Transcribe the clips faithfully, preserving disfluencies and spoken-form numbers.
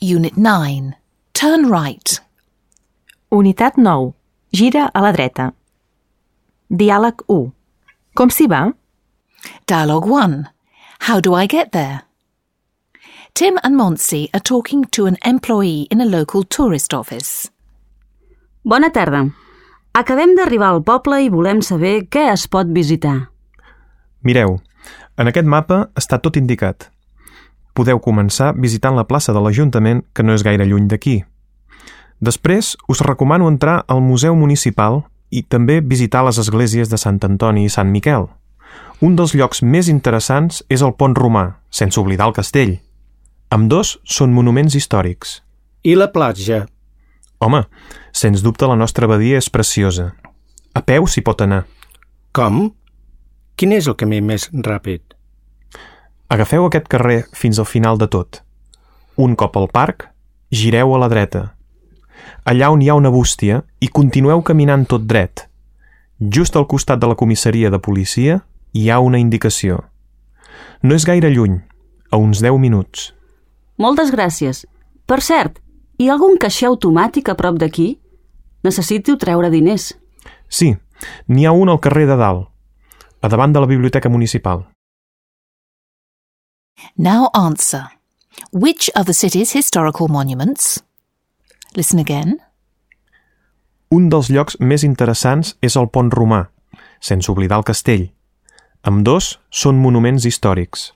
Unit nine. Turn right. Unitat nou. Gira a la dreta. Diàleg u. Com s'hi va? Dialogue one. How do I get there? Tim and Monsi are talking to an employee in a local tourist office. Bona tarda. Acabem d'arribar al poble i volem saber què es pot visitar. Mireu, en aquest mapa està tot indicat. Podeu començar visitant la plaça de l'Ajuntament, que no és gaire lluny d'aquí. Després, us recomano entrar al Museu Municipal i també visitar les esglésies de Sant Antoni i Sant Miquel. Un dels llocs més interessants és el Pont Romà, sense oblidar el castell. Ambdós són monuments històrics. I la platja? Home, sens dubte la nostra badia és preciosa. A peu s'hi pot anar. Com? Quin és el camí més ràpid? Agafeu aquest carrer fins al final de tot. Un cop al parc, gireu a la dreta. Allà on hi ha una bústia i continueu caminant tot dret. Just al costat de la comissaria de policia hi ha una indicació. No és gaire lluny, a uns deu minuts. Moltes gràcies. Per cert, hi ha algun caixer automàtic a prop d'aquí? Necessito treure diners. Sí, n'hi ha un al carrer de dalt, a davant de la biblioteca municipal. Now answer. Which are the city's historical monuments? Listen again. Un dels llocs més interessants és el Pont Romà, sense oblidar el castell. Ambdós són monuments històrics.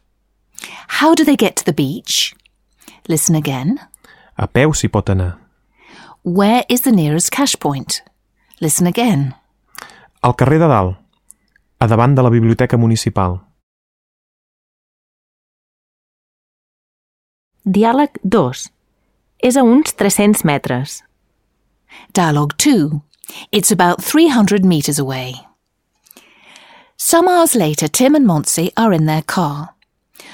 How do they get to the beach? Listen again. A peu s'hi pot anar. Where is the nearest cash point? Listen again. Al carrer de dalt, a davant de la biblioteca municipal. Diàleg dos. És a uns tres-cents metres. Dialogue two. It's about three hundred meters away. Some hours later, Tim and Monsi are in their car.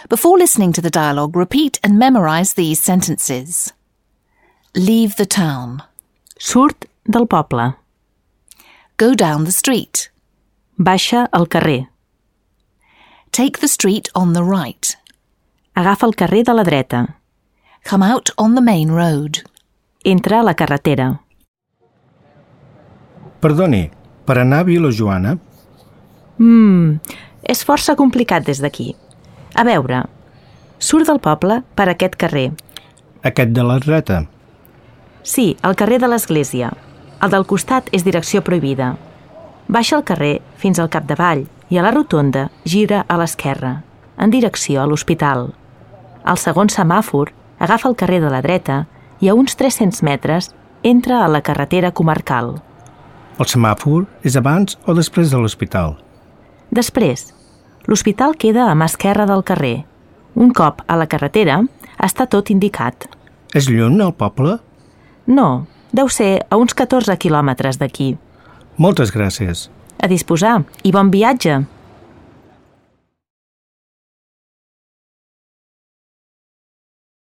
Before listening to the dialogue, repeat and memorize these sentences. Leave the town. Surt del poble. Go down the street. Baixa al carrer. Take the street on the right. Agafa el carrer de la dreta. Come out on the main road. Entra a la carretera. Perdoni, per anar a Vilajoana? Mmm, és força complicat des d'aquí. A veure, surt del poble per aquest carrer. Aquest de la dreta? Sí, el carrer de l'església. El del costat és direcció prohibida. Baixa el carrer fins al capdavall i a la rotonda gira a l'esquerra, en direcció a l'hospital. Al segon semàfor agafa el carrer de la dreta i a uns tres-cents metres entra a la carretera comarcal. El semàfor és abans o després de l'hospital? Després. L'hospital queda a mà esquerra del carrer. Un cop a la carretera, està tot indicat. És lluny el poble? No, deu ser a uns catorze quilòmetres d'aquí. Moltes gràcies. A disposar i bon viatge!